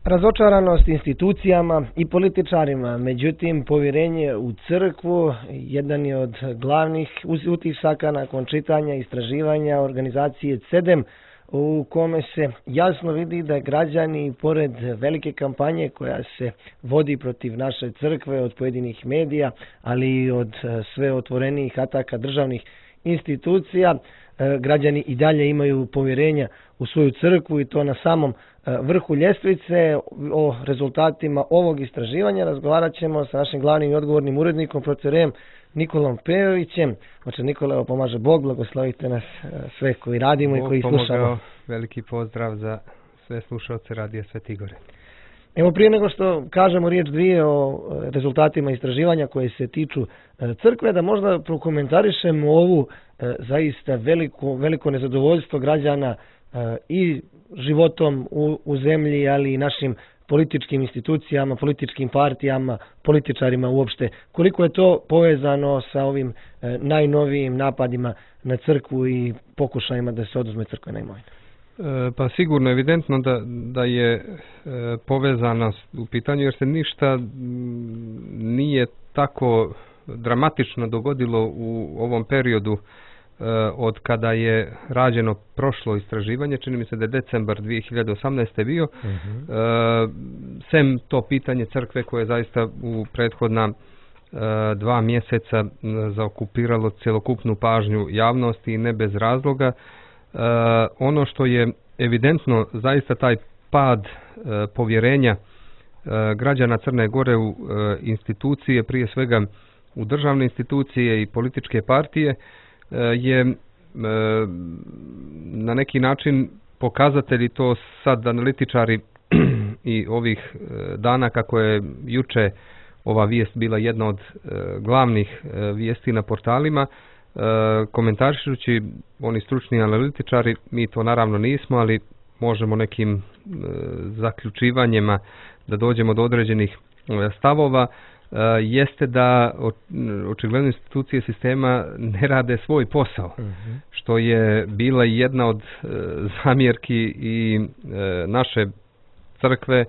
Razočaranost institucijama i političarima, međutim povjerenje u crkvu jedan je od glavnih utisaka nakon čitanja istraživanja organizacije CEDEM, u kome se jasno vidi da građani, pored velike kampanje koja se vodi protiv naše crkve od pojedinih medija, ali i od sve otvorenijih ataka državnih institucija, građani i dalje imaju povjerenja u svoju crkvu i to na samom vrhu ljestvice. O rezultatima ovog istraživanja razgovarat ćemo sa našim glavnim i odgovornim urednikom, profesorem Nikolom Pejovićem. Oče Nikola, pomaže Bog, blagoslovite nas sve koji radimo Bog i koji slušamo. Pomogao, veliki pozdrav za sve slušalce Radija Sveti Igor. Evo, prije nego što kažemo riječ dvije o rezultatima istraživanja koje se tiču crkve, da možda prokomentarišemo ovu zaista veliko nezadovoljstvo građana i životom u zemlji, ali i našim političkim institucijama, političkim partijama, političarima uopšte. Koliko je to povezano sa ovim najnovijim napadima na crkvu i pokušajima da se oduzme crkvena imovina? Pa sigurno evidentno da je povezanost u pitanju, jer se ništa nije tako dramatično dogodilo u ovom periodu od kada je rađeno prošlo istraživanje. Čini mi se da je decembar 2018. bio. Sem to pitanje crkve koje je zaista u prethodna 2 mjeseca zaokupiralo cjelokupnu pažnju javnosti i ne bez razloga. Ono što je evidentno, zaista taj pad povjerenja građana Crne Gore u institucije, prije svega u državne institucije i političke partije, je na neki način pokazatelji, to sad analitičari i ovih dana, kako je juče ova vijest bila jedna od glavnih vijesti na portalima, komentarišući oni stručni analitičari, mi to naravno nismo, ali možemo nekim zaključivanjima da dođemo do određenih stavova, jeste da očigledno institucije sistema ne rade svoj posao, što je bila jedna od zamjerki i naše crkve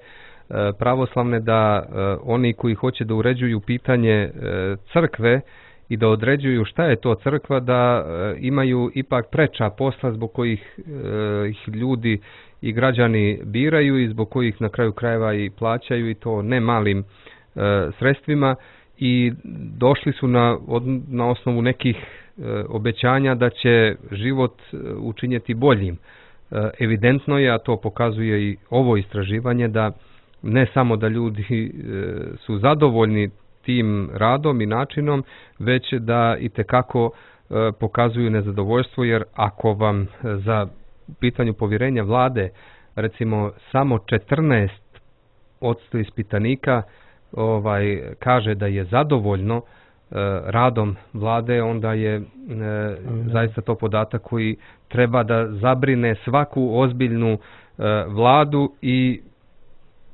pravoslavne, da oni koji hoće da uređuju pitanje crkve i da određuju šta je to crkva, da imaju ipak preča posla zbog kojih ih ljudi i građani biraju i zbog kojih na kraju krajeva i plaćaju, i to ne malim sredstvima, i došli su na osnovu nekih obećanja da će život učinjeti boljim. Evidentno je, a to pokazuje i ovo istraživanje, da ne samo da ljudi su zadovoljni tim radom i načinom, već da itekako pokazuju nezadovoljstvo, jer ako vam za pitanju povjerenja vlade recimo samo 14% ispitanika kaže da je zadovoljno radom vlade, onda je zaista to podatak koji treba da zabrine svaku ozbiljnu vladu, i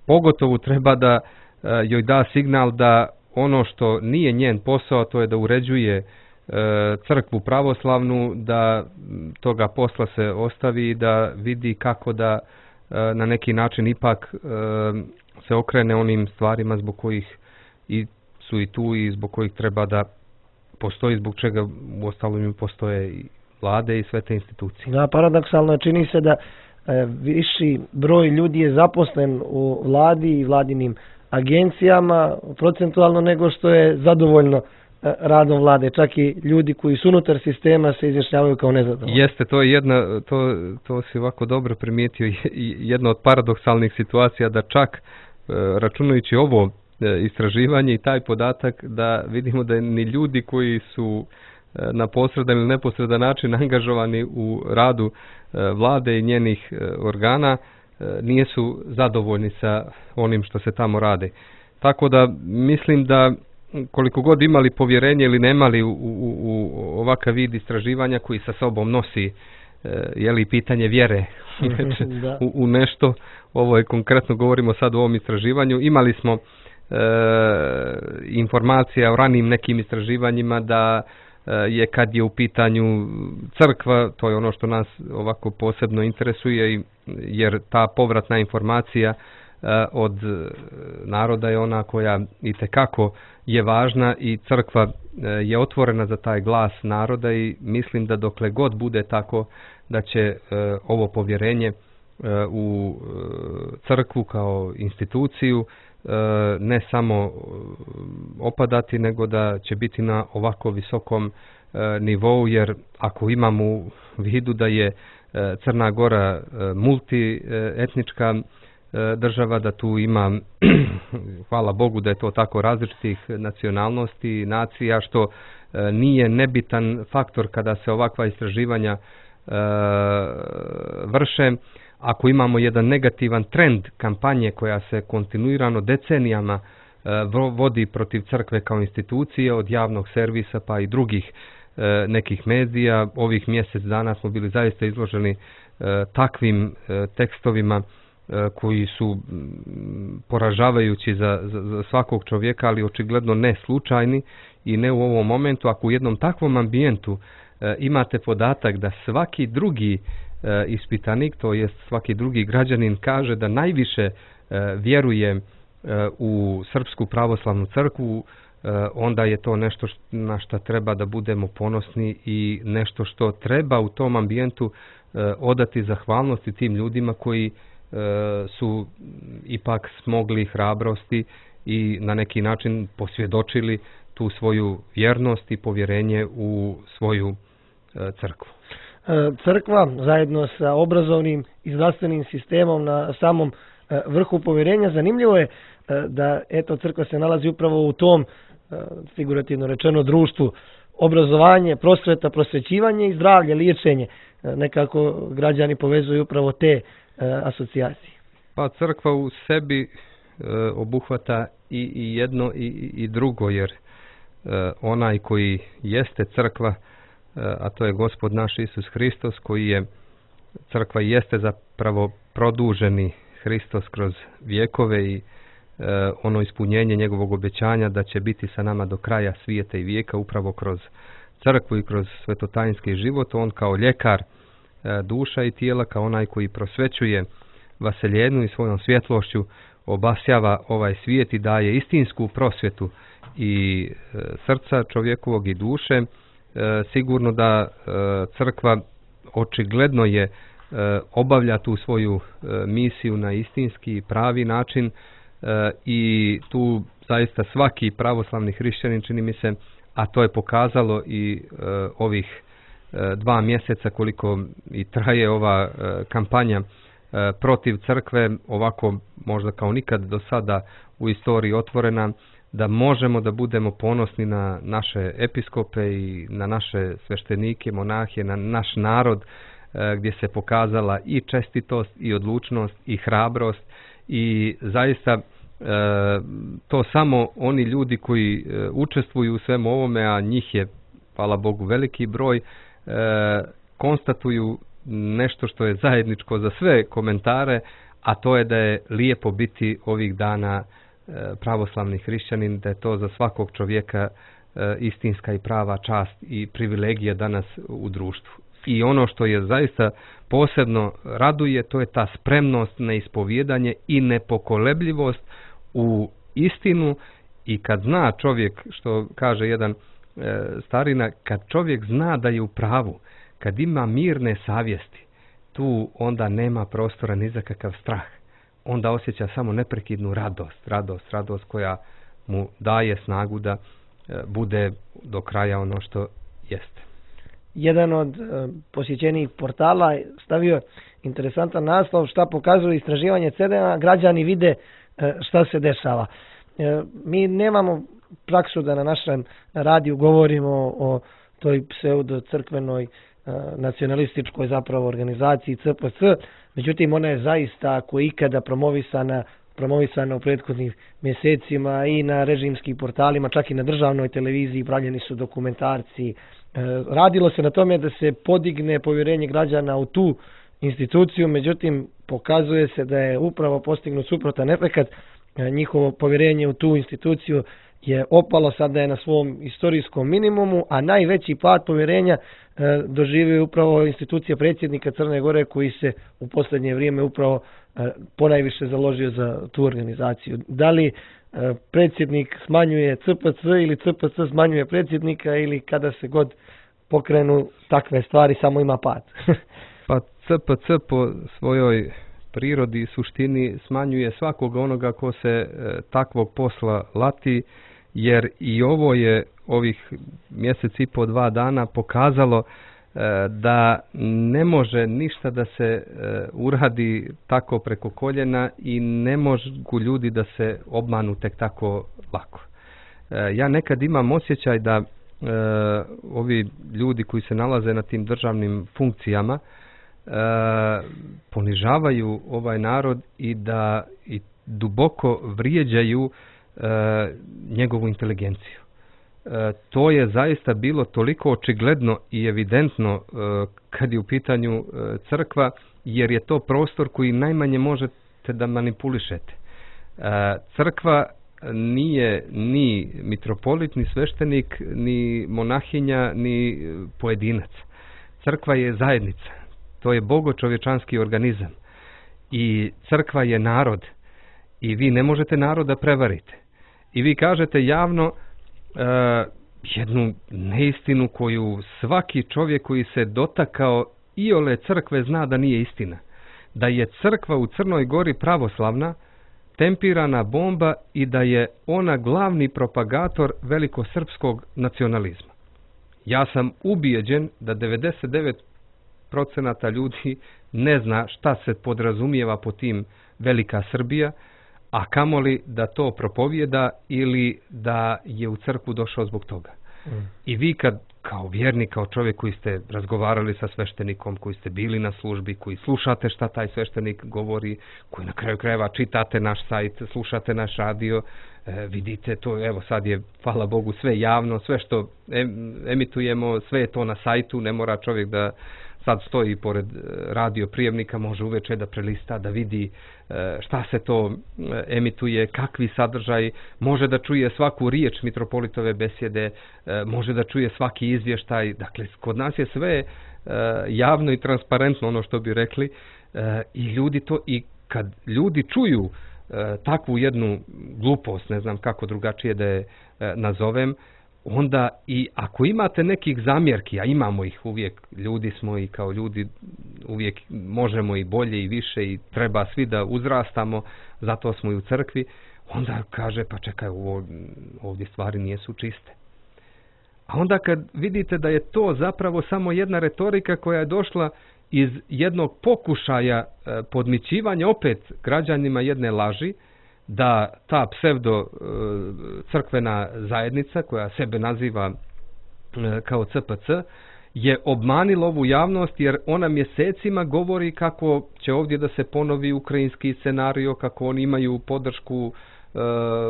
pogotovo treba da joj da signal da ono što nije njen posao, to je da uređuje crkvu pravoslavnu, da toga posla se ostavi i da vidi kako da na neki način ipak se okrene onim stvarima zbog kojih su i tu i zbog kojih treba da postoji, zbog čega u ostalom postoje i vlade i sve te institucije. Da, paradoksalno čini se da viši broj ljudi je zaposlen u vladi i vladinim agencijama procentualno nego što je zadovoljno radom vlade. Čak i ljudi koji su unutar sistema se izjašnjavaju kao nezadovoljni. Jeste, to je jedna, to si ovako dobro primijetio, jedna od paradoksalnih situacija, da čak računajući ovo istraživanje i taj podatak, da vidimo da ni ljudi koji su na posredan ili neposredan način angažovani u radu vlade i njenih organa nisu zadovoljni sa onim što se tamo radi. Tako da mislim da koliko god imali povjerenje ili nemali u ovakav vid istraživanja koji sa sobom nosi pitanje vjere u nešto, ovo je konkretno, govorimo sad o ovom istraživanju, imali smo informacija o ranim nekim istraživanjima da je, kad je u pitanju crkva, to je ono što nas ovako posebno interesuje, jer ta povratna informacija od naroda je ona koja itekako je važna i crkva je otvorena za taj glas naroda i mislim da dokle god bude tako da će ovo povjerenje u crkvu kao instituciju ne samo opadati, nego da će biti na ovako visokom nivou, jer ako imamo u vidu da je Crna Gora multietnička država, da tu ima, hvala Bogu da je to tako, različitih nacionalnosti i nacija, što nije nebitan faktor kada se ovakva istraživanja vrše. Ako imamo jedan negativan trend kampanje koja se kontinuirano decenijama vodi protiv crkve kao institucije, od javnog servisa pa i drugih nekih medija, ovih mjesec dana smo bili zaista izloženi takvim tekstovima koji su poražavajući za svakog čovjeka, ali očigledno ne slučajni i ne u ovom momentu. Ako u jednom takvom ambijentu imate podatak da svaki drugi ispitanik, to jest svaki drugi građanin, kaže da najviše vjeruje u Srpsku pravoslavnu crkvu, onda je to nešto na što treba da budemo ponosni i nešto što treba u tom ambijentu odati zahvalnosti tim ljudima koji su ipak smogli hrabrosti i na neki način posvjedočili tu svoju vjernost i povjerenje u svoju crkvu. Crkva zajedno sa obrazovnim i zdravstvenim sistemom na samom vrhu povjerenja. Zanimljivo je da eto crkva se nalazi upravo u tom, figurativno rečeno, društvu. Obrazovanje, prosveta, prosvećivanje i zdravlje, liječenje. Nekako građani povezuju upravo te asocijacije. Pa crkva u sebi obuhvata i jedno i drugo, jer onaj koji jeste crkva, a to je Gospod naš Isus Hristos, koji je crkva i jeste zapravo produženi Hristos kroz vjekove i ono ispunjenje njegovog obećanja da će biti sa nama do kraja svijeta i vijeka upravo kroz crkvu i kroz svetotajinski život. On kao ljekar duša i tijela, kao onaj koji prosvećuje vaseljenu i svojom svjetlošću obasjava ovaj svijet i daje istinsku prosvjetu i srca čovjekovog i duše. Sigurno da crkva očigledno je obavlja tu svoju misiju na istinski i pravi način i tu zaista svaki pravoslavni hrišćanin, čini mi se, a to je pokazalo i ovih 2 mjeseca koliko i traje ova kampanja protiv crkve, ovako možda kao nikad do sada u istoriji otvorena, da možemo da budemo ponosni na naše episkope i na naše sveštenike, monahe, na naš narod, gdje se pokazala i čestitost i odlučnost i hrabrost i zaista to samo oni ljudi koji učestvuju u svemu ovome, a njih je, hvala Bogu, veliki broj, konstatuju nešto što je zajedničko za sve komentare, a to je da je lijepo biti ovih dana pravoslavni hrišćanin, da je to za svakog čovjeka istinska i prava čast i privilegija danas u društvu. I ono što je zaista posebno raduje, to je ta spremnost na ispovjedanje i nepokolebljivost u istinu. I kad zna čovjek, što kaže jedan starina, kad čovjek zna da je u pravu, kad ima mirne savjesti, tu onda nema prostora ni za kakav strah. Onda osjeća samo neprekidnu radost koja mu daje snagu da bude do kraja ono što jeste. Jedan od posjećenih portala stavio interesantan naslov: šta pokazuje istraživanje CEDEM-a, građani vide šta se dešava. Mi nemamo praksu da na našem radiju govorimo o toj pseudo-crkvenoj nacionalističkoj zapravo organizaciji CPC, međutim ona je zaista ako ikada promovisana u prethodnim mjesecima i na režimskim portalima, čak i na državnoj televiziji, pravljeni su dokumentarci. Radilo se na tome da se podigne povjerenje građana u tu instituciju, međutim pokazuje se da je upravo postignut suprotan efekat. Njihovo povjerenje u tu instituciju je opalo, sada je na svom istorijskom minimumu, a najveći pad povjerenja doživio upravo institucija predsjednika Crne Gore koji se u posljednje vrijeme upravo ponajviše založio za tu organizaciju. Da li predsjednik smanjuje CPC ili CPC smanjuje predsjednika ili kada se god pokrenu takve stvari samo ima pad? Pa CPC po svojoj prirodi i suštini smanjuje svakog onoga ko se takvog posla lati, jer i ovo je ovih mjesec i po 2 dana pokazalo da ne može ništa da se uradi tako preko koljena i ne mogu ljudi da se obmanu tek tako lako. Ja nekad imam osjećaj da ovi ljudi koji se nalaze na tim državnim funkcijama ponižavaju ovaj narod i da i duboko vrijeđaju njegovu inteligenciju. To je zaista bilo toliko očigledno i evidentno kad je u pitanju crkva, jer je to prostor koji najmanje možete da manipulišete. Crkva nije ni mitropolit, ni sveštenik, ni monahinja, ni pojedinac. Crkva je zajednica. To je bogočovječanski organizam. I crkva je narod. I vi ne možete narod da prevarite. I vi kažete javno jednu neistinu koju svaki čovjek koji se dotakao iole crkve zna da nije istina. Da je crkva u Crnoj Gori pravoslavna, tempirana bomba i da je ona glavni propagator velikosrpskog nacionalizma. Ja sam ubijeđen da 99% ljudi ne zna šta se podrazumijeva po tim Velika Srbija, a kamoli da to propovijeda ili da je u crkvu došao zbog toga. I vi kad kao vjernik, kao čovjek koji ste razgovarali sa sveštenikom, koji ste bili na službi, koji slušate šta taj sveštenik govori, koji na kraju krajeva čitate naš sajt, slušate naš radio, vidite to, evo sad je, hvala Bogu, sve javno, sve što emitujemo, sve je to na sajtu, ne mora čovjek da sad stoji pored radio prijemnika, može uveče da prelista, da vidi šta se to emituje, kakvi sadržaj, može da čuje svaku riječ mitropolitove besjede, može da čuje svaki izvještaj. Dakle, kod nas je sve javno i transparentno, ono što bi rekli, i ljudi to, i kad ljudi čuju takvu jednu glupost, ne znam kako drugačije da je nazovem, onda i ako imate nekih zamjerki, a imamo ih uvijek, ljudi smo i kao ljudi uvijek možemo i bolje i više i treba svi da uzrastamo, zato smo i u crkvi, onda kaže pa čekaj, ovdje stvari nisu čiste. A onda kad vidite da je to zapravo samo jedna retorika koja je došla iz jednog pokušaja podmićivanja opet građanima jedne laži, da ta psevdo crkvena zajednica koja sebe naziva kao CPC je obmanila ovu javnost, jer ona mjesecima govori kako će ovdje da se ponovi ukrajinski scenario, kako oni imaju podršku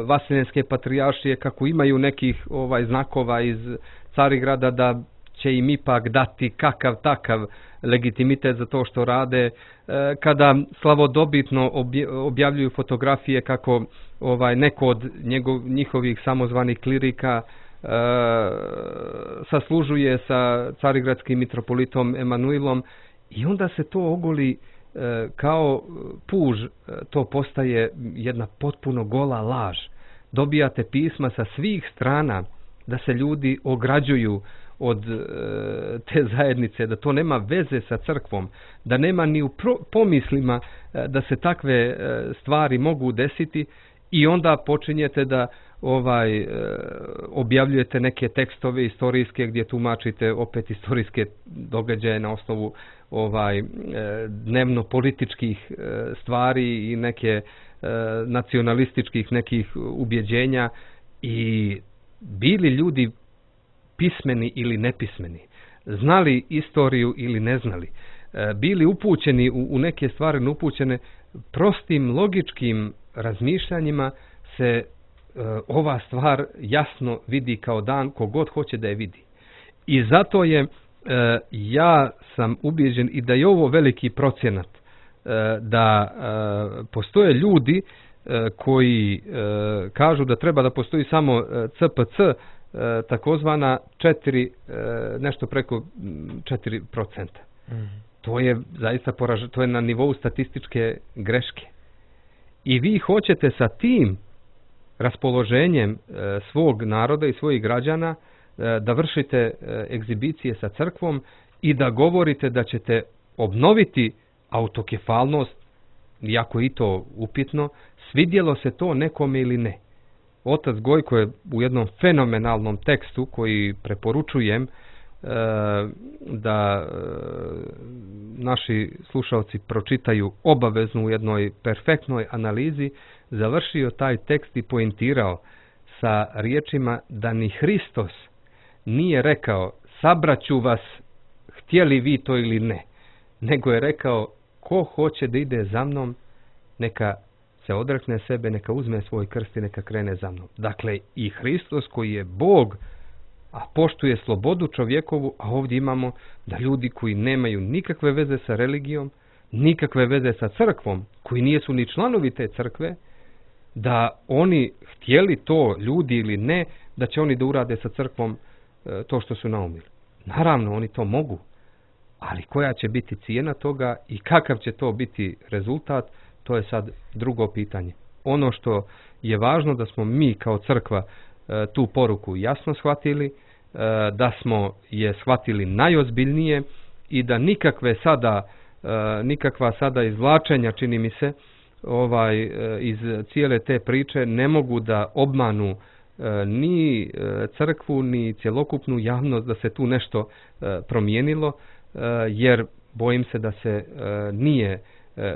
Vaseljenske patrijaršije, kako imaju nekih znakova iz Carigrada da će im ipak dati kakav takav legitimitet za to što rade, kada slavodobitno objavljuju fotografije kako neko od njihovih samozvanih klirika saslužuje sa carigradskim mitropolitom Emanuilom, i onda se to ogoli kao puž, to postaje jedna potpuno gola laž. Dobijate pisma sa svih strana da se ljudi ograđuju od te zajednice, da to nema veze sa crkvom, da nema ni u pomislima da se takve stvari mogu desiti, i onda počinjete da objavljujete neke tekstove istorijske gdje tumačite opet istorijske događaje na osnovu dnevno političkih stvari i neke nacionalističkih nekih ubjeđenja. I bili ljudi pismeni ili nepismeni, znali istoriju ili ne znali, bili upućeni u neke stvari neupućene, prostim logičkim razmišljanjima se ova stvar jasno vidi kao dan, kogod hoće da je vidi. I zato je, ja sam ubijeđen i da je ovo veliki procjenat, da postoje ljudi koji kažu da treba da postoji samo CPC takozvana 4, nešto preko 4%. To je zaista to je na nivou statističke greške. I vi hoćete sa tim raspoloženjem svog naroda i svojih građana da vršite egzibicije sa crkvom i da govorite da ćete obnoviti autokefalnost, iako i to upitno, svidjelo se to nekome ili ne. Otac Gojko je u jednom fenomenalnom tekstu koji preporučujem da naši slušalci pročitaju obavezno u jednoj perfektnoj analizi, završio taj tekst i poentirao sa riječima da ni Hristos nije rekao sabraću vas htjeli vi to ili ne, nego je rekao ko hoće da ide za mnom neka se odrekne sebe, neka uzme svoj krst i neka krene za mnom. Dakle, i Hristos koji je Bog, a poštuje slobodu čovjekovu, a ovdje imamo da ljudi koji nemaju nikakve veze sa religijom, nikakve veze sa crkvom, koji nisu ni članovi te crkve, da oni htjeli to ljudi ili ne, da će oni da urade sa crkvom to što su naumili. Naravno, oni to mogu, ali koja će biti cijena toga i kakav će to biti rezultat, to je sad drugo pitanje. Ono što je važno da smo mi kao crkva tu poruku jasno shvatili, da smo je shvatili najozbiljnije i da nikakva sada izvlačenja, čini mi se, iz cijele te priče ne mogu da obmanu ni crkvu, ni cjelokupnu javnost da se tu nešto promijenilo, jer bojim se da se nije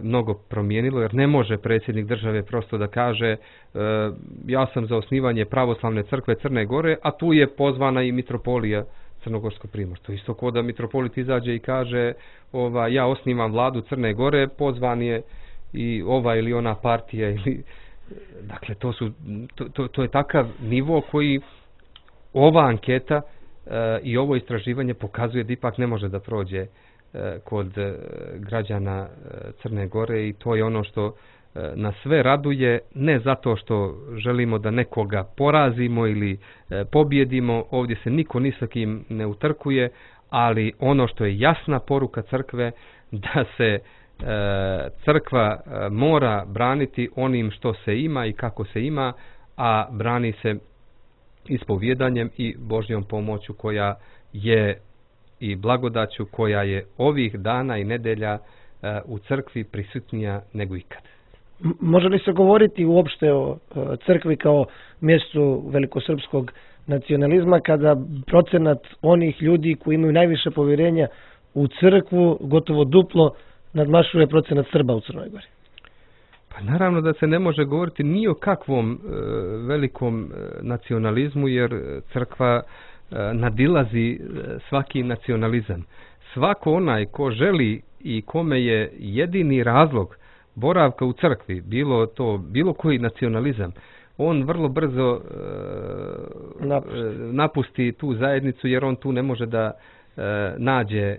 mnogo promijenilo, jer ne može predsjednik države prosto da kaže ja sam za osnivanje pravoslavne crkve Crne Gore, a tu je pozvana i mitropolija Crnogorsko-Primorsko. To isto kao da mitropolit izađe i kaže ja osnivam vladu Crne Gore, pozvan je i ova ili ona partija. Dakle, to je takav nivo koji ova anketa i ovo istraživanje pokazuje da ipak ne može da prođe kod građana Crne Gore i to je ono što nas sve raduje, ne zato što želimo da nekoga porazimo ili pobjedimo, ovdje se niko ni sa kim ne utrkuje, ali ono što je jasna poruka crkve da se crkva mora braniti onim što se ima i kako se ima, a brani se ispovjedanjem i Božjom pomoću koja je i blagodaću koja je ovih dana i nedelja u crkvi prisutnija nego ikad. Može li se govoriti uopšte o crkvi kao mjestu velikosrpskog nacionalizma kada procenat onih ljudi koji imaju najviše povjerenja u crkvu gotovo duplo nadmašuje procenat Srba u Crnoj Gori? Pa naravno da se ne može govoriti ni o kakvom velikom nacionalizmu, jer crkva nadilazi svaki nacionalizam. Svako onaj ko želi i kome je jedini razlog boravka u crkvi, bilo koji nacionalizam, on vrlo brzo napusti tu zajednicu, jer on tu ne može da nađe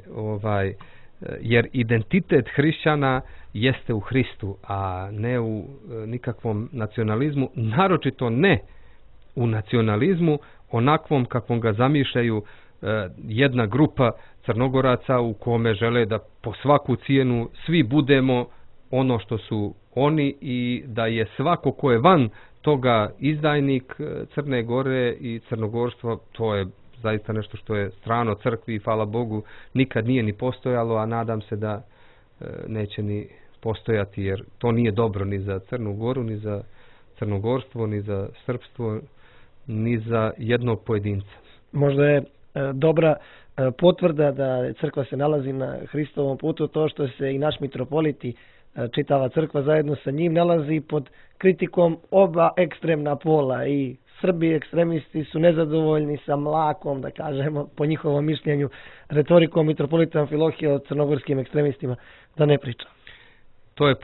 jer identitet hrišćana jeste u Hristu, a ne u nikakvom nacionalizmu, naročito ne u nacionalizmu onakvom kakvom ga zamišljaju jedna grupa Crnogoraca u kome žele da po svaku cijenu svi budemo ono što su oni i da je svako ko je van toga izdajnik Crne Gore i crnogorstvo. To je zaista nešto što je strano crkvi i hvala Bogu nikad nije ni postojalo, a nadam se da neće ni postojati, jer to nije dobro ni za Crnu Goru, ni za crnogorstvo, ni za srpstvo, ni za jednog pojedinca. Možda je dobra potvrda da crkva se nalazi na Hristovom putu to što se i naš mitropolit i čitava crkva zajedno sa njim nalazi pod kritikom oba ekstremna pola. I Srbi ekstremisti su nezadovoljni sa mlakom, da kažemo, po njihovom mišljenju, retorikom mitropolita Amfilohija o crnogorskim ekstremistima, da ne pričam. To je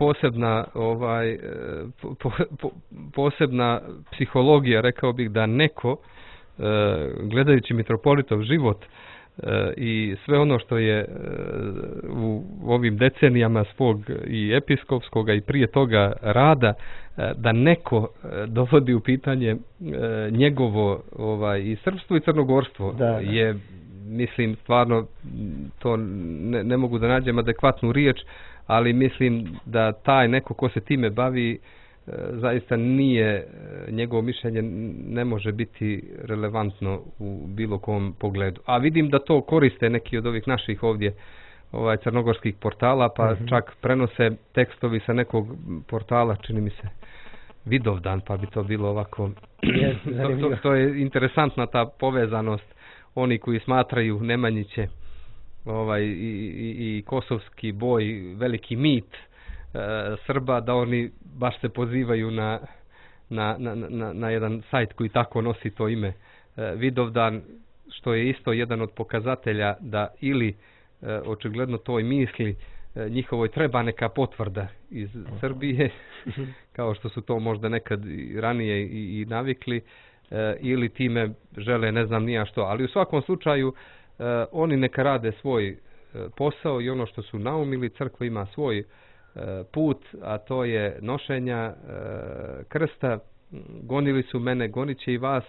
posebna psihologija, rekao bih, da neko, gledajući mitropolitov život, i sve ono što je u ovim decenijama svog i episkopskog i prije toga rada, da neko dovodi u pitanje njegovo i srpstvo i crnogorstvo je, mislim, stvarno to ne mogu da nađem adekvatnu riječ, ali mislim da taj neko ko se time bavi zaista nije, njegovo mišljenje ne može biti relevantno u bilo kom pogledu. A vidim da to koriste neki od ovih naših ovdje crnogorskih portala, pa čak prenose tekstovi sa nekog portala, čini mi se Vidovdan, pa bi to bilo ovako. To je interesantna ta povezanost, oni koji smatraju Nemanjiće i kosovski boj veliki mit Srba, da oni baš se pozivaju na jedan sajt koji tako nosi to ime Vidovdan, što je isto jedan od pokazatelja da ili očigledno toj misli njihovoj treba neka potvrda iz Srbije, kao što su to možda nekad ranije i navikli, ili time žele ne znam nija što, ali u svakom slučaju oni neka rade svoj posao i ono što su naumili, crkva ima svoj put, a to je nošenja krsta. Gonili su mene, gonit će i vas,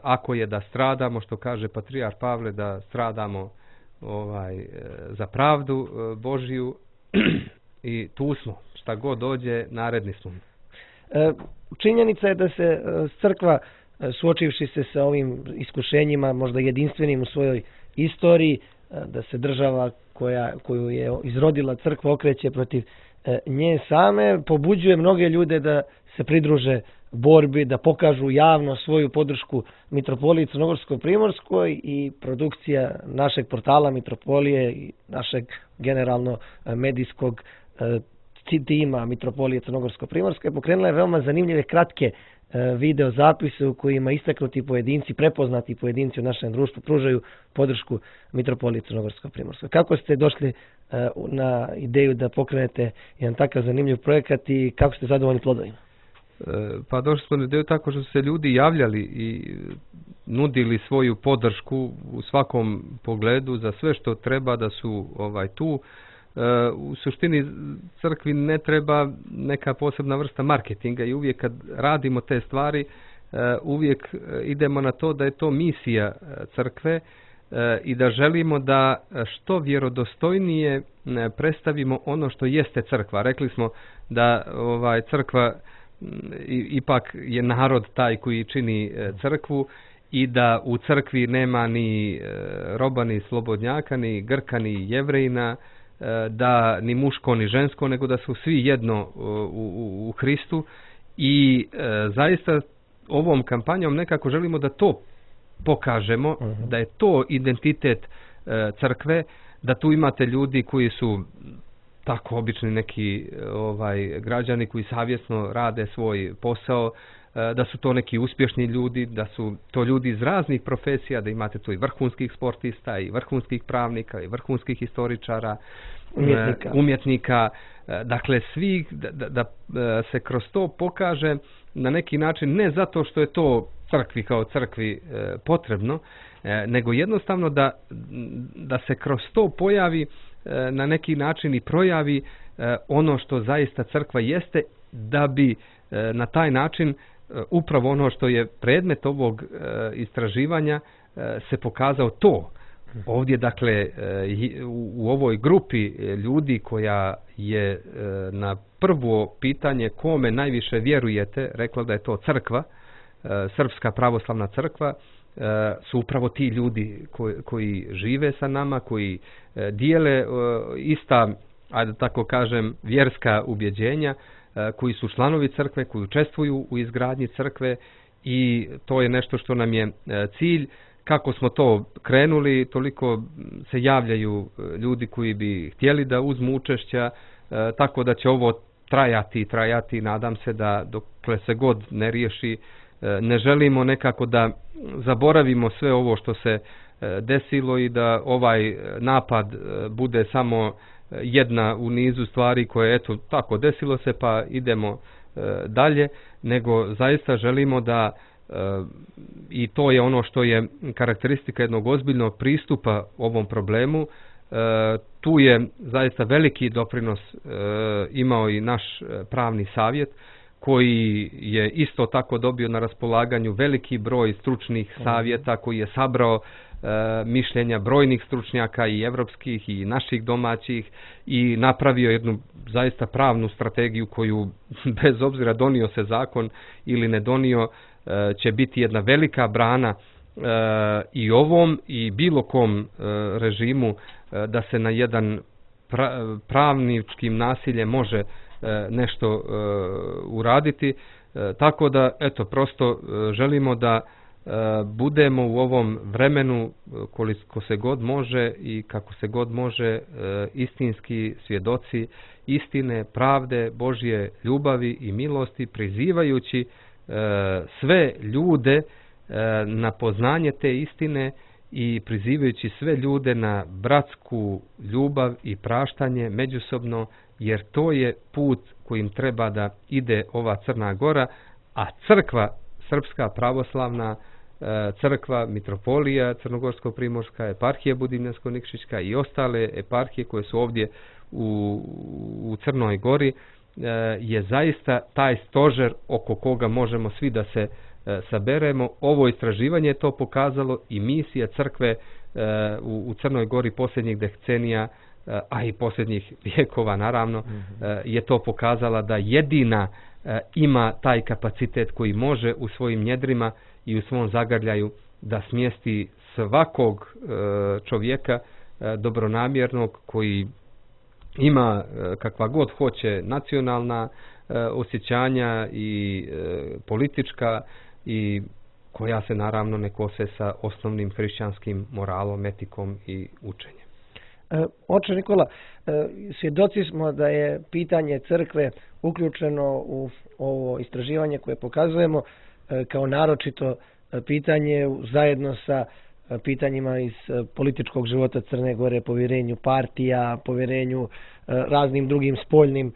ako je da stradamo, što kaže patrijar Pavle, da stradamo za pravdu Božiju, i tu smo, šta god dođe, naredni smo. Činjenica je da se crkva, suočivši se sa ovim iskušenjima, možda jedinstvenim u svojoj istoriji, da se država koju je izrodila crkva okreće protiv nje same, pobuđuje mnoge ljude da se pridruže borbi, da pokažu javno svoju podršku Mitropoliji Crnogorsko-Primorskoj, i produkcija našeg portala Mitropolije i našeg generalno medijskog tima Mitropolije Crnogorsko-Primorske pokrenula je veoma zanimljive kratke video zapise u kojima istaknuti pojedinci, prepoznati pojedinci u našem društvu pružaju podršku Mitropoliji Crnogorsko-Primorskoj. Kako ste došli na ideju da pokrenete jedan takav zanimljiv projekat i kako ste zadovoljni plodovima? Pa došli smo na ideju tako što su se ljudi javljali i nudili svoju podršku u svakom pogledu za sve što treba, da su tu. U suštini crkvi ne treba neka posebna vrsta marketinga i uvijek kad radimo te stvari uvijek idemo na to da je to misija crkve i da želimo da što vjerodostojnije predstavimo ono što jeste crkva. Rekli smo da crkva ipak je narod taj koji čini crkvu i da u crkvi nema ni roba, ni slobodnjaka, ni Grka, ni Jevrejina, da ni muško ni žensko, nego da su svi jedno u Hristu, i zaista ovom kampanjom nekako želimo da to pokažemo, da je to identitet crkve, da tu imate ljudi koji su tako obični neki građani koji savjesno rade svoj posao, da su to neki uspješni ljudi, da su to ljudi iz raznih profesija, da imate tu i vrhunskih sportista, i vrhunskih pravnika, i vrhunskih historičara, umjetnika. Dakle, svi da se kroz to pokaže na neki način, ne zato što je to crkvi kao crkvi potrebno, nego jednostavno da se kroz to pojavi na neki način i projavi ono što zaista crkva jeste, da bi na taj način upravo ono što je predmet ovog istraživanja se pokazao to. Ovdje, dakle, u ovoj grupi ljudi koja je na prvo pitanje kome najviše vjerujete rekla da je to crkva, Srpska pravoslavna crkva, su upravo ti ljudi koji žive sa nama, koji dijele ista, ajde tako kažem, vjerska ubjeđenja, koji su članovi crkve, koji učestvuju u izgradnji crkve, i to je nešto što nam je cilj. Kako smo to krenuli, toliko se javljaju ljudi koji bi htjeli da uzmu učešća, tako da će ovo trajati, nadam se da dokle se god ne riješi. Ne želimo nekako da zaboravimo sve ovo što se desilo i da ovaj napad bude samo jedna u nizu stvari koje, eto, tako desilo se pa idemo dalje, nego zaista želimo da I to je ono što je karakteristika jednog ozbiljnog pristupa ovom problemu. Tu je zaista veliki doprinos imao i naš pravni savjet, koji je isto tako dobio na raspolaganju veliki broj stručnih savjeta, koji je sabrao mišljenja brojnih stručnjaka i evropskih i naših domaćih i napravio jednu zaista pravnu strategiju koju, bez obzira donio se zakon ili ne donio, će biti jedna velika brana i ovom i bilo kom režimu da se na jedan pravničkim nasiljem može nešto uraditi. Tako da, eto, prosto želimo da budemo u ovom vremenu koliko se god može i kako se god može istinski svjedoci istine, pravde, Božje ljubavi i milosti, prizivajući sve ljude na poznanje te istine i prizivajući sve ljude na bratsku ljubav i praštanje međusobno, jer to je put kojim treba da ide ova Crna Gora, a crkva srpska pravoslavna, crkva mitropolija Crnogorsko-primorska, eparhija Budimljansko-Nikšićka i ostale eparhije koje su ovdje u Crnoj Gori, je zaista taj stožer oko koga možemo svi da se saberemo. Ovo istraživanje je to pokazalo i misija crkve u Crnoj Gori posljednjih decenija, a i posljednjih vijekova naravno, je to pokazala da jedina ima taj kapacitet koji može u svojim njedrima i u svom zagrljaju da smjesti svakog čovjeka dobronamjernog koji ima kakva god hoće nacionalna osjećanja i politička i koja se naravno ne kose sa osnovnim hrišćanskim moralom, etikom i učenjem. Oče Nikola, svjedoci smo da je pitanje crkve uključeno u ovo istraživanje koje pokazujemo kao naročito pitanje zajedno sa pitanjima iz političkog života Crne Gore, povjerenju partija, povjerenju raznim drugim spoljnim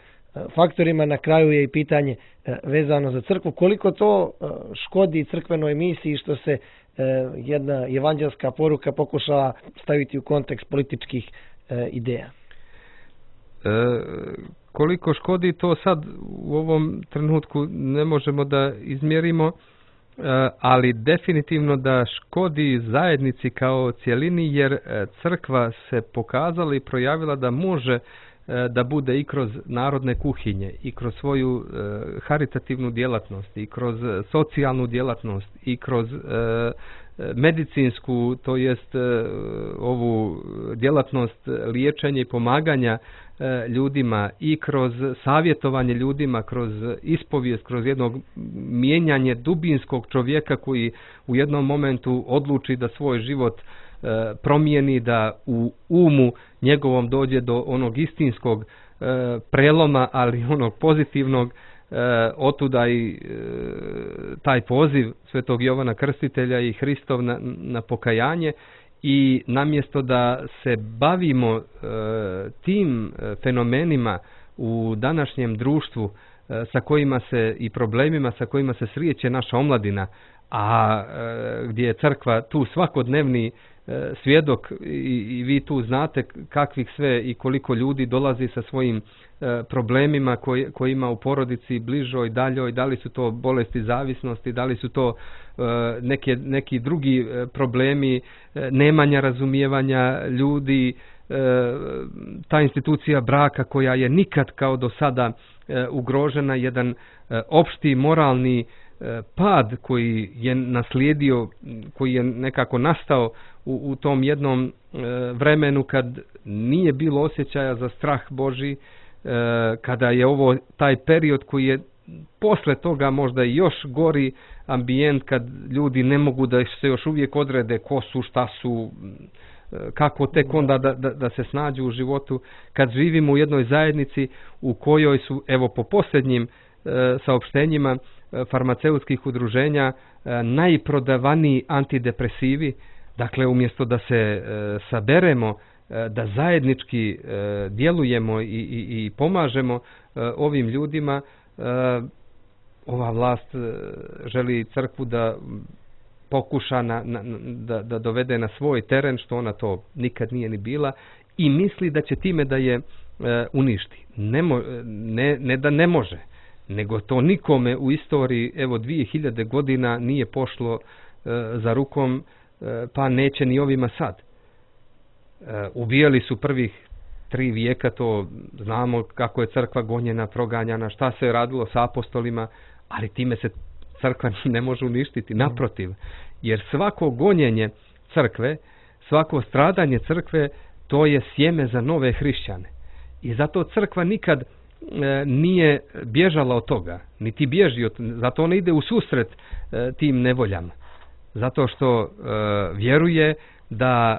faktorima. Na kraju je i pitanje vezano za crkvu. Koliko to škodi crkvenoj misiji što se jedna evanđelska poruka pokušala staviti u kontekst političkih ideja? Koliko škodi, to sad u ovom trenutku ne možemo da izmjerimo, ali definitivno da škodi zajednici kao cjelini, jer crkva se pokazala i projavila da može da bude i kroz narodne kuhinje, i kroz svoju haritativnu djelatnost, i kroz socijalnu djelatnost, i kroz medicinsku, to jest ovu djelatnost liječenja i pomaganja ljudima, i kroz savjetovanje ljudima, kroz ispovijest, kroz jednog mijenjanje dubinskog čovjeka koji u jednom momentu odluči da svoj život promijeni, da u umu njegovom dođe do onog istinskog preloma, ali onog pozitivnog. Otuda i taj poziv Svetog Jovana Krstitelja i Hristov na pokajanje, i namjesto da se bavimo tim fenomenima u današnjem društvu sa kojima se i problemima sa kojima se srijeće naša omladina, a gdje je crkva tu svakodnevni svjedok i vi tu znate kakvih sve i koliko ljudi dolazi sa svojim problemima koji ima u porodici, bližoj, daljoj, da li su to bolesti zavisnosti, da li su to neki drugi problemi, nemanja razumijevanja ljudi, ta institucija braka koja je nikad kao do sada ugrožena, jedan opšti moralni pad koji je naslijedio, koji je nekako nastao u tom jednom vremenu kad nije bilo osjećaja za strah Božji, kada je ovo taj period koji je posle toga možda i još gori ambijent, kad ljudi ne mogu da se još uvijek odrede ko su, šta su, kako tek onda da se snađu u životu, kad živimo u jednoj zajednici u kojoj su, evo po posljednjim saopštenjima farmaceutskih udruženja, najprodavaniji antidepresivi. Dakle, umjesto da se saberemo, da zajednički djelujemo i pomažemo ovim ljudima, ova vlast želi crkvu da pokuša da dovede na svoj teren, što ona to nikad nije ni bila, i misli da će time da je uništi. Ne da ne može, nego to nikome u istoriji, evo 2000 godina nije pošlo za rukom, pa neće ni ovima sad. Ubijali su prvih 3 vijeka, to znamo kako je crkva gonjena, proganjana, šta se je radilo sa apostolima, ali time se crkva ne može uništiti, naprotiv. Jer svako gonjenje crkve, svako stradanje crkve, to je sjeme za nove hrišćane. I zato crkva nikad nije bježala od toga, niti bježi zato ona ide u susret tim nevoljama. Zato što vjeruje da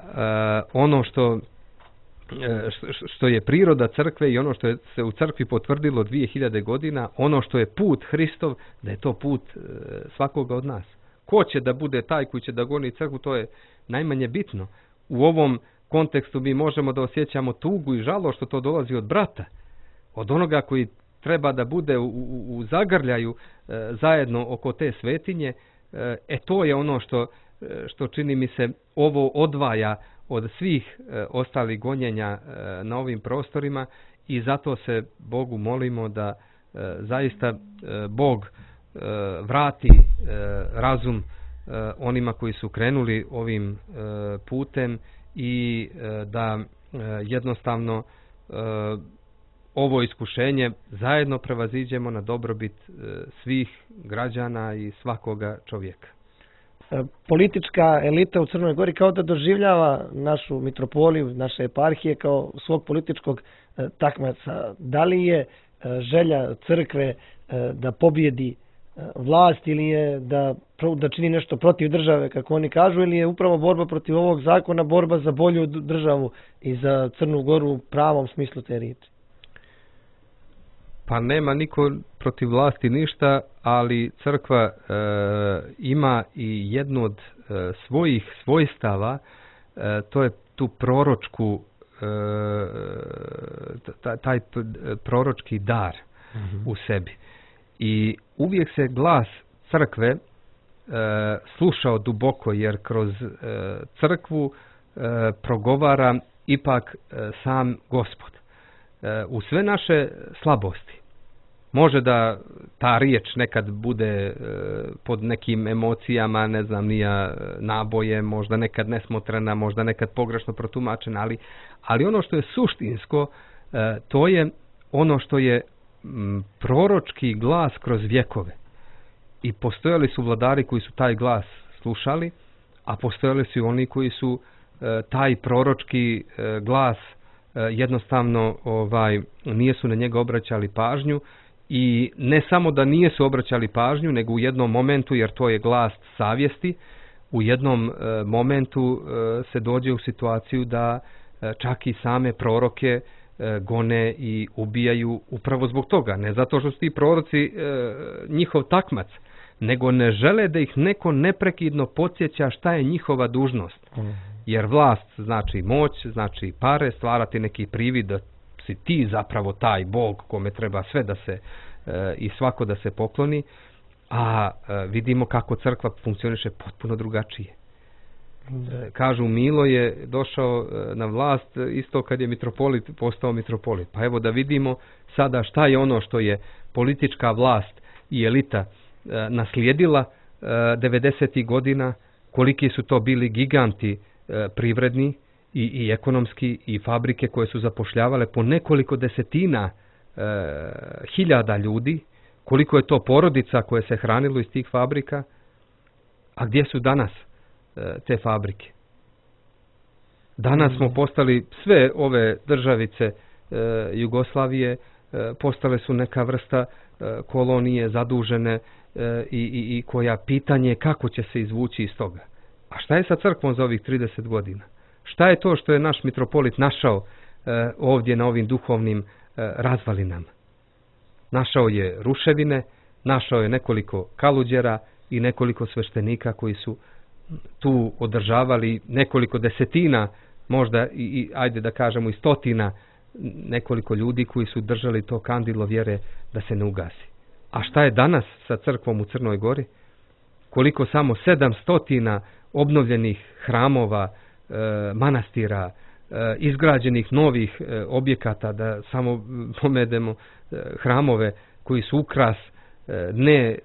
ono što je priroda crkve i ono što je se u crkvi potvrdilo 2000 godina, ono što je put Hristov, da je to put svakoga od nas. Ko će da bude taj koji će da goni crkvu, to je najmanje bitno. U ovom kontekstu mi možemo da osjećamo tugu i žalo što to dolazi od brata, od onoga koji treba da bude u zagrljaju zajedno oko te svetinje. To je ono što čini mi se ovo odvaja od svih ostalih gonjenja na ovim prostorima, i zato se Bogu molimo da zaista Bog vrati razum onima koji su krenuli ovim putem i da jednostavno ovo iskušenje zajedno prevaziđemo na dobrobit svih građana i svakoga čovjeka. Politička elita u Crnoj Gori kao da doživljava našu mitropoliju, naše eparhije kao svog političkog takmaca. Da li je želja crkve da pobjedi vlast ili je da čini nešto protiv države, kako oni kažu, ili je upravo borba protiv ovog zakona borba za bolju državu i za Crnu Goru u pravom smislu te riječi? Pa nema niko protiv vlasti ništa, ali crkva ima i jednu od svojih svojstava, to je tu proročku, taj proročki dar u sebi. I uvijek se glas crkve slušao duboko, jer kroz crkvu progovara ipak sam Gospod. U sve naše slabosti. Može da ta riječ nekad bude pod nekim emocijama, ne znam, nija naboje, možda nekad nesmotrena, možda nekad pogrešno protumačena, ali ono što je suštinsko, to je ono što je proročki glas kroz vjekove. I postojali su vladari koji su taj glas slušali, a postojali su oni koji su taj proročki glas jednostavno nijesu na njega obraćali pažnju, i ne samo da nijesu obraćali pažnju, nego u jednom momentu, jer to je glas savjesti, u jednom momentu se dođe u situaciju da čak i same proroke gone i ubijaju upravo zbog toga. Ne zato što su ti proroci njihov takmac, nego ne žele da ih neko neprekidno podsjeća šta je njihova dužnost. Jer vlast znači moć, znači pare, stvarati neki privid da si ti zapravo taj Bog kome treba sve da se i svako da se pokloni, a vidimo kako crkva funkcioniše potpuno drugačije. Kažu, Milo je došao na vlast isto kad je mitropolit postao mitropolit. Pa evo da vidimo sada šta je ono što je politička vlast i elita naslijedila 90. godina, koliki su to bili giganti privredni i ekonomski, i fabrike koje su zapošljavale po nekoliko desetina hiljada ljudi, koliko je to porodica koje se hranilo iz tih fabrika, a gdje su danas te fabrike? Danas smo postali, sve ove državice Jugoslavije postale su neka vrsta kolonije zadužene i koja pitanje kako će se izvući iz toga. A šta je sa crkvom za ovih 30 godina? Šta je to što je naš mitropolit našao ovdje na ovim duhovnim razvalinama? Našao je ruševine, našao je nekoliko kaluđera i nekoliko sveštenika koji su tu održavali nekoliko desetina, možda i ajde da kažemo i stotina, nekoliko ljudi koji su držali to kandilo vjere da se ne ugasi. A šta je danas sa crkvom u Crnoj Gori? Koliko samo 700 obnovljenih hramova, manastira, izgrađenih novih objekata, da samo pomedemo hramove koji su ukras ne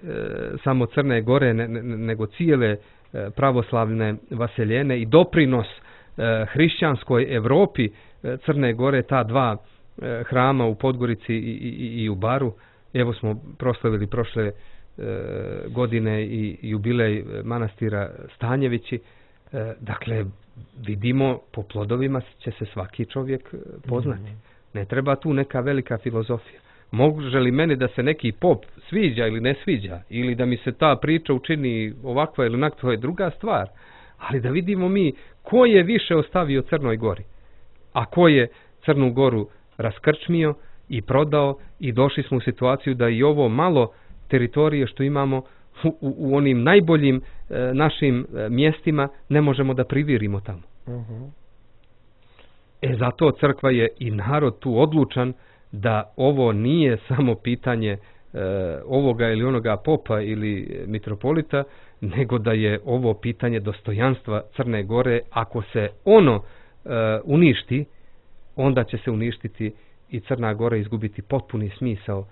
samo Crne Gore, nego cijele pravoslavne vaseljene i doprinos hrišćanskoj Evropi Crne Gore, ta dva hrama u Podgorici i u Baru. Evo smo proslavili prošle godine i jubilej manastira Stanjevići. Dakle, vidimo, po plodovima će se svaki čovjek poznati. Ne treba tu neka velika filozofija. Može li meni da se neki pop sviđa ili ne sviđa, ili da mi se ta priča učini ovakva ili onakva, to je druga stvar. Ali da vidimo mi ko je više ostavio Crnoj Gori, a ko je Crnu Goru raskrčmio i prodao, i došli smo u situaciju da i ovo malo teritorije što imamo u onim najboljim našim mjestima ne možemo da privirimo tamo. Zato crkva je i narod tu odlučan da ovo nije samo pitanje ovoga ili onoga popa ili mitropolita, nego da je ovo pitanje dostojanstva Crne Gore. Ako se ono uništi, onda će se uništiti i Crna Gora, izgubiti potpuni smisao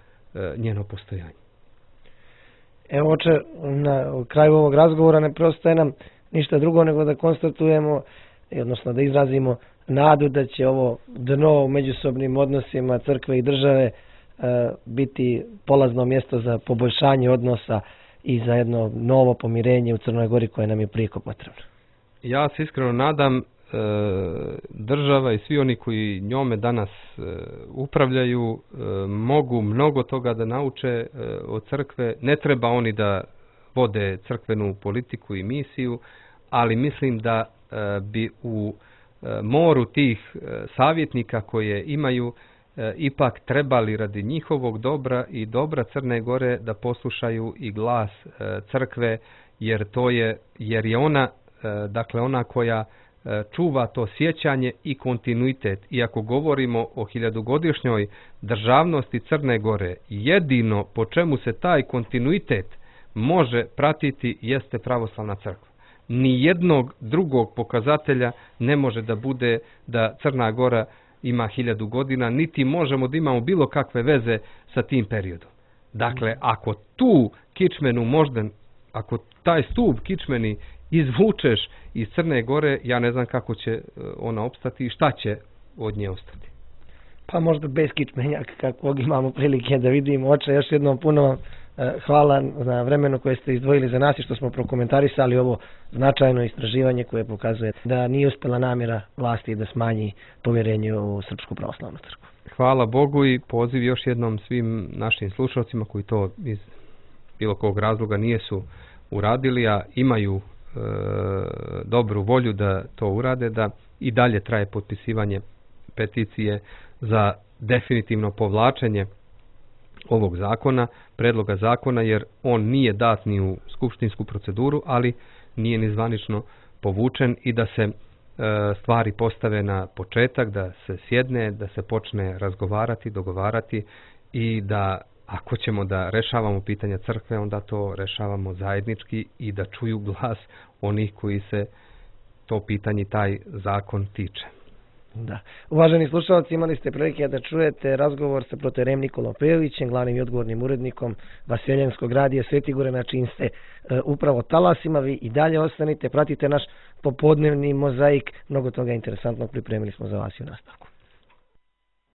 njeno postojanje. Evo, oče, na kraju ovog razgovora ne preostaje nam ništa drugo nego da konstatujemo, odnosno da izrazimo nadu da će ovo dno u međusobnim odnosima crkve i države biti polazno mjesto za poboljšanje odnosa i za jedno novo pomirenje u Crnoj Gori koje nam je prijeko potrebno. Ja se iskreno nadam, država i svi oni koji njome danas upravljaju mogu mnogo toga da nauče od crkve. Ne treba oni da vode crkvenu politiku i misiju, ali mislim da bi u moru tih savjetnika koje imaju ipak trebali radi njihovog dobra i dobra Crne Gore da poslušaju i glas crkve, jer je ona, dakle ona koja čuva to sjećanje i kontinuitet. I ako govorimo o 1000-godišnjoj državnosti Crne Gore, jedino po čemu se taj kontinuitet može pratiti jeste pravoslavna crkva. Ni jednog drugog pokazatelja ne može da bude da Crna Gora ima 1000 godina, niti možemo da imamo bilo kakve veze sa tim periodom. Dakle, ako tu kičmenu možda, ako taj stup kičmeni izvučeš iz Crne Gore, ja ne znam kako će ona opstati i šta će od nje ostati. Pa možda bez kičmenjaka kakvog imamo prilike da vidimo. Oče, još jednom puno hvala na vremenu koje ste izdvojili za nas i što smo prokomentarisali ovo značajno istraživanje koje pokazuje da nije uspjela namjera vlasti da smanji povjerenje u Srpsku pravoslavnu crkvu. Hvala Bogu i poziv još jednom svim našim slušalcima koji to iz bilo kog razloga nijesu uradili, a imaju dobru volju da to urade, da i dalje traje potpisivanje peticije za definitivno povlačenje ovog zakona, predloga zakona, jer on nije dat ni u skupštinsku proceduru, ali nije ni zvanično povučen, i da se stvari postave na početak, da se sjedne, da se počne razgovarati, dogovarati, i da ako ćemo da rešavamo pitanja crkve, onda to rešavamo zajednički i da čuju glas onih koji se to pitanje, taj zakon tiče. Da. Uvaženi slušalci, imali ste prilike da čujete razgovor sa protoijerejem Nikolom Pejovićem, glavnim i odgovornim urednikom Vaseljenskog radija Sveti Gore, na čijim ste upravo talasima. Vi i dalje ostanite, pratite naš popodnevni mozaik, mnogo toga interesantnog pripremili smo za vas i u nastavku.